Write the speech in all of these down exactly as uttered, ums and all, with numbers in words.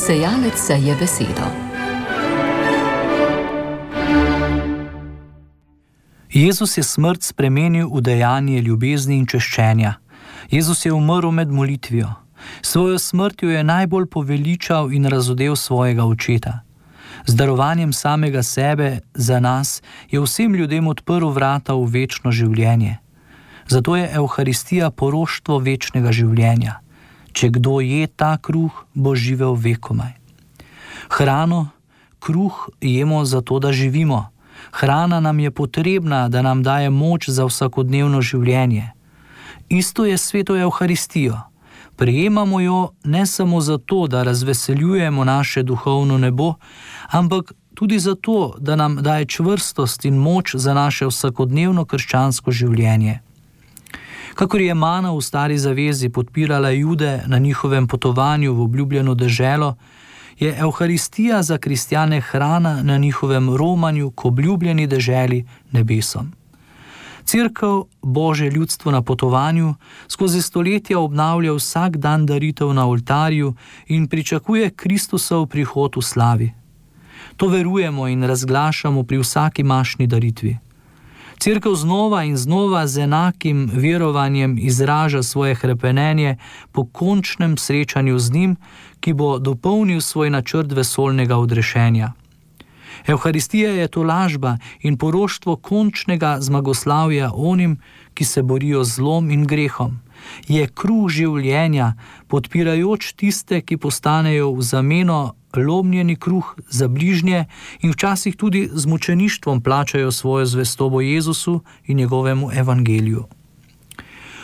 Sejalec seje besedo. Jezus je smrt spremenil v dejanje ljubezni in češčenja. Jezus je umrl med molitvijo. Svojo smrtjo je najbolj poveličal in razodel svojega očeta. Z darovanjem samega sebe za nas je vsem ljudem odprl vrata v večno življenje. Zato je Evharistija poroštvo večnega življenja. Če kdo je ta kruh, bo živel vekomaj. Hrano, kruh jemo zato, da živimo. Hrana nam je potrebna, da nam daje moč za vsakodnevno življenje. Isto je s sveto Evharistijo. Prejemamo jo ne samo zato, da razveseljujemo naše duhovno nebo, ampak tudi zato, da nam daje čvrstost in moč za naše vsakodnevno krščansko življenje. Kakor je mana v stari zavezi podpirala Jude na njihovem potovanju v obljubljeno deželo, je Evharistija za kristjane hrana na njihovem romanju k obljubljeni deželi nebesom. Cerkev, Božje ljudstvo na potovanju, skozi stoletja obnavlja vsak dan daritev na oltarju in pričakuje Kristusov prihod v slavi. To verujemo in razglašamo pri vsaki mašni daritvi. Cerkev znova in znova z enakim verovanjem izraža svoje hrepenenje po končnem srečanju z njim, ki bo dopolnil svoj načrt vesoljnega odrešenja. Evharistija je tolažba in poroštvo končnega zmagoslavja onim, ki se borijo z zlom in grehom. Je kruh življenja, podpirajoč tiste, ki postanejo v zameno lomljeni kruh za bližnje in včasih tudi z mučeništvom plačajo svojo zvestobo Jezusu in njegovemu evangeliju.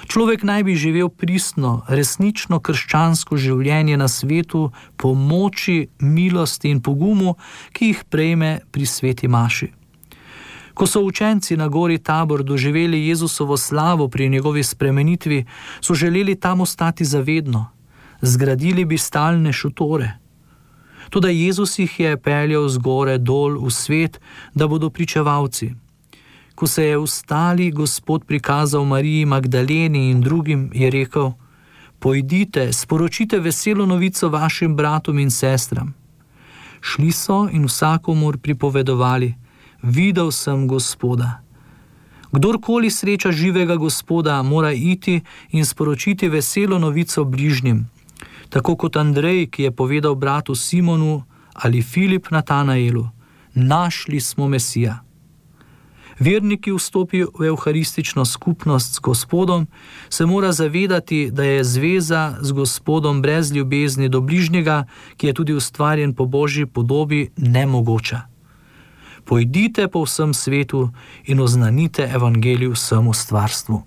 Človek naj bi živel pristno, resnično krščansko življenje na svetu po moči, milosti in pogumu, ki jih prejme pri sveti maši. Ko so učenci na gori Tabor doživeli Jezusovo slavo pri njegovi spremenitvi, so želeli tam ostati zavedno. Zgradili bi stalne šotore. Toda Jezus jih je peljal z gore dol v svet, da bodo pričevalci. Ko se je vstali Gospod prikazal Mariji Magdaleni in drugim, je rekel: pojdite, sporočite veselo novico vašim bratom in sestram. Šli so in vsakomur pripovedovali: videl sem Gospoda. Kdorkoli sreča živega Gospoda, mora iti in sporočiti veselo novico bližnjim. Tako kot Andrej, ki je povedal bratu Simonu, ali Filip Natanaelu: našli smo Mesija. Vernik, ki vstopi v evharistično skupnost s Gospodom, se mora zavedati, da je zveza z Gospodom brez ljubezni do bližnjega, ki je tudi ustvarjen po Božji podobi, nemogoča. Pojdite po vsem svetu in oznanite evangelij vsemu stvarstvu.